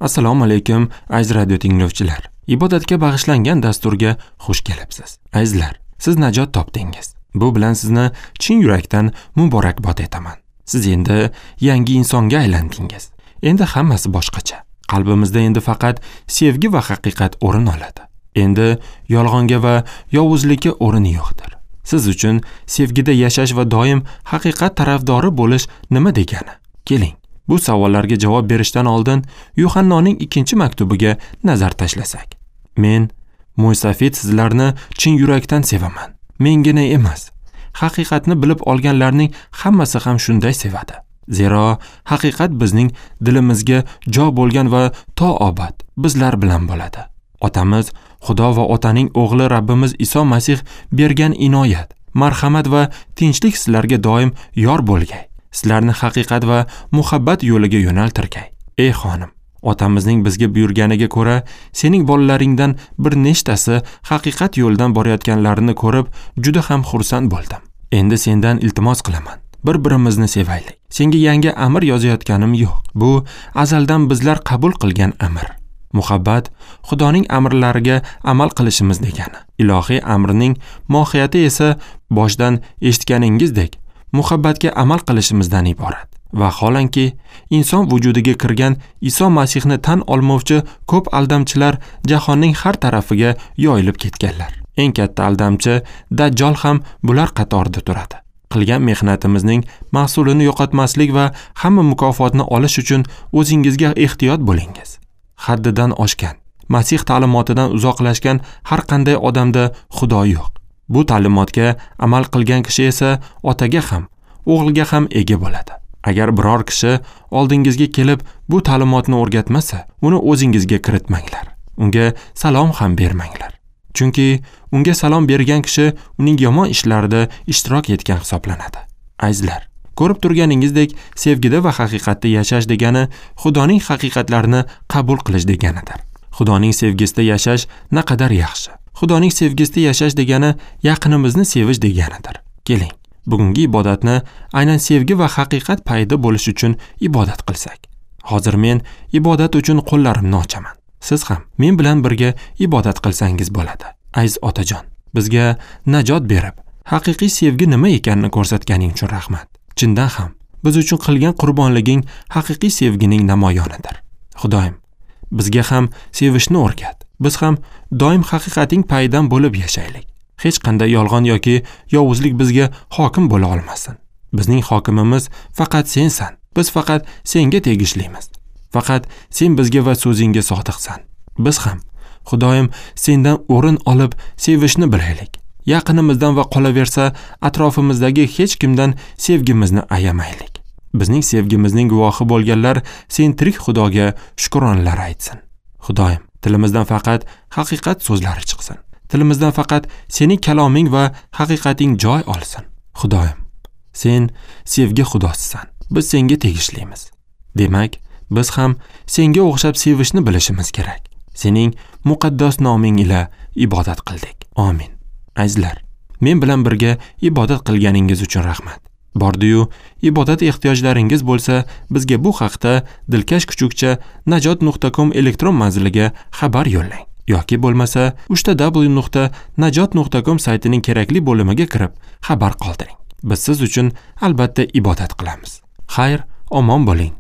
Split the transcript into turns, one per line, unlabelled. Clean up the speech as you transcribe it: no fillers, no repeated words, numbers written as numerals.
Assalomu alaykum, aziz radio tinglovchilar. Ibodatga bag'ishlangan dasturga xush kelibsiz. Azizlar, siz najot topdingiz. Bu bilan sizni chin yurakdan muborakbod etaman. Siz endi yangi insonga aylandingiz. Endi hammasi boshqacha. Qalbimizda endi faqat sevgi va haqiqat o'rin oladi. Endi yolg'onga va yovuzlikka o'rin yo'qdir. Siz uchun sevgida yashash va doim haqiqat tarafdori bo'lish nima degani? Keling, bu savollarga javob berishdan oldin Yuhannoning 2-maktubiga nazar tashlasak. Men, Mo'ysafid, sizlarni chin yurakdan sevaman. Mengina emas, haqiqatni bilib olganlarning hammasi ham shunday sevadi. Zero haqiqat bizning dilimizga jo bo'lgan va to abad bizlar bilan bo'ladi. Otamiz Xudo va Otaning o'g'li Rabbimiz Iso Masih bergan inoyat, marhamat va tinchlik sizlarga doim yor bo'lgay. Sizlarni haqiqat va muhabbat yo'liga yo'naltirgay. Ey xonim, otamizning bizga buyurganiga ko'ra, sening bolalaringdan bir nechtasi haqiqat yo'lidan borayotganlarini ko'rib, juda ham xursand bo'ldim. Endi sendan iltimos qilaman. Bir-birimizni sevaylik. Senga yangi amr yozayotganim yo'q. Bu azaldan bizlar qabul qilgan amr. Muhabbat Xudoning amrlariga amal qilishimiz degani. Ilohiy amrning mohiyati esa boshdan eshitganingizdek muhabbatga amal qilishimizdan iborat. Vaholanki, inson vujudiga kirgan Iso Masihni tan olmovchi ko'p aldamchilar jahonning har tarafiga yoyilib ketganlar. Eng katta aldamchi Dajjol ham bular qatorida turadi. Qilgan mehnatimizning mahsulini yo'qotmaslik va hamma mukofotni olish uchun o'zingizga ehtiyot bo'lingiz. Haddidan oshgan, Masih ta'limotidan uzoqlashgan har qanday odamda Xudo yo'q. Bu ta'limotga amal qilgan kishi esa otaga ham, o'g'ilga ham ega bo'ladi. Agar biror kishi oldingizga kelib bu ta'limotni o'rgatmasa, uni o'zingizga kiritmanglar. Unga salom ham bermanglar. Chunki unga salom bergan kishi uning yomon ishlarida ishtirok etgan hisoblanadi. Azizlar, ko'rib turganingizdek, sevgida va haqiqatda yashash degani Xudoning haqiqatlarini qabul qilish deganidir. Xudoning sevgisida yashash naqadar yaxshi. Xudoning sevgisida yashash degani yaqinimizni sevish deganidir. Keling, bugungi ibodatni aynan sevgi va haqiqat paydo bo'lish uchun ibodat qilsak. Hozir men ibodat uchun qo'llarimni ochaman. Siz ham men bilan birga ibodat qilsangiz bo'ladi. Aziz otajon, bizga najot berib, haqiqiy sevgi nima ekanini ko'rsatganing uchun rahmat. Chindan ham biz uchun qilgan qurbonliging haqiqiy sevgining namoyonidir. Xudoyim, bizga ham sevishni o'rgat. Biz ham doim haqiqating payidan bo'lib yashaylik. Hech qanday yolg'on yoki yovuzlik bizga hokim bo'la olmasin. Bizning hokimimiz faqat sensan. Biz faqat senga tegishlimiz. Faqat sen bizga va so'zingga sodiqsan. Biz ham, Xudoyim, sendan o'rin olib sevishni bilaylik. Yaqinimizdan va qolaversa atrofimizdagi hech kimdan sevgimizni ayamaylik. Bizning sevgimizning guvohi bo'lganlar sen tirik Xudoga shukronlar aytsin. Xudoyim, tilimizdan faqat haqiqat so'zlari chiqsin. Tilimizdan faqat sening kaloming va haqiqating joy olsin. Xudoyim, sen sevgi Xudosisan. Biz senga tegishlimiz. Demak, biz ham senga o'xshab sevishni bilishimiz kerak. Sening muqaddas noming ila ibodat qildik. Amin. Azizlar, men bilan birga ibodat qilganingiz uchun rahmat. Bordi-yu, ibodat ehtiyojlaringiz bo'lsa, bizga bu haqda dilkash@najot.com elektron manziliga xabar yo'llang. Yoki bo'lmasa www.najot.com saytining kerakli bo'limiga kirib xabar qoldiring. Biz siz uchun albatta ibodat qilamiz. Xayr, omon bo'ling.